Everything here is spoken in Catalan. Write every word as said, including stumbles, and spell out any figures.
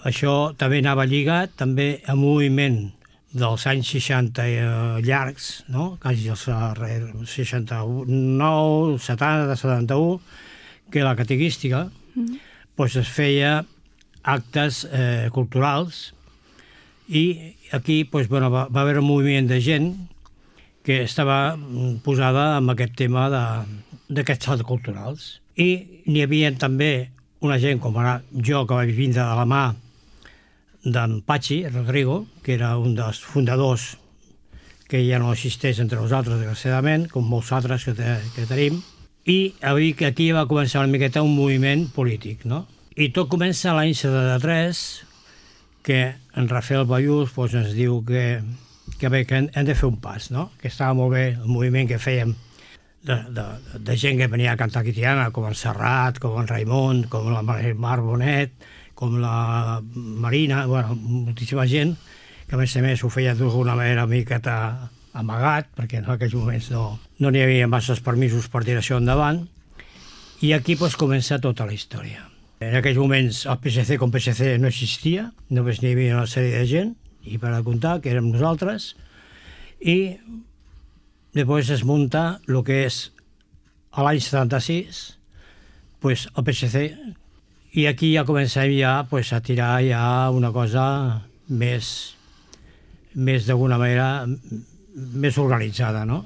això també anava lligat també a un moviment dels anys seixanta eh, llargs, no? Quasi els eh, seixanta-nou, setanta, setanta-u, que la catequística mm. pues es feia actes eh, culturals i aquí pues, bueno, va, va haver un moviment de gent que estava posada amb aquest tema d'aquests actes culturals. I n'hi havia també una gent com ara jo, que vaig vindre de la mà d'en Patxi Rodrigo, que era un dels fundadors que ja no existeix entre nosaltres, desgraciadament, com molts altres que, te, que tenim, i aquí va començar una miqueta un moviment polític, no? I tot comença l'any setanta-tres, que en Rafael Bayús pues, ens diu que, que, bé, que hem de fer un pas, no? Que estava molt bé el moviment que fèiem de, de, de gent que venia a cantar quitiana, com en Serrat, com en Raimon, com la Mar Bonet, com la Marina, bueno, moltíssima gent, que a més a més ho feia d'alguna manera una miqueta amagat, perquè en aquells moments no no n'hi havia masses permisos per tirar això endavant, i aquí pues, comença tota la història. En aquells moments el P S C com P S C no existia, només n'hi havia una sèrie de gent, i per a comptar, que érem nosaltres, i després es munta el que és a l'any setanta-sis pues, el P S C, i aquí ja comencem ja pues, a tirar ja una cosa més, més d'alguna manera més organitzada, no?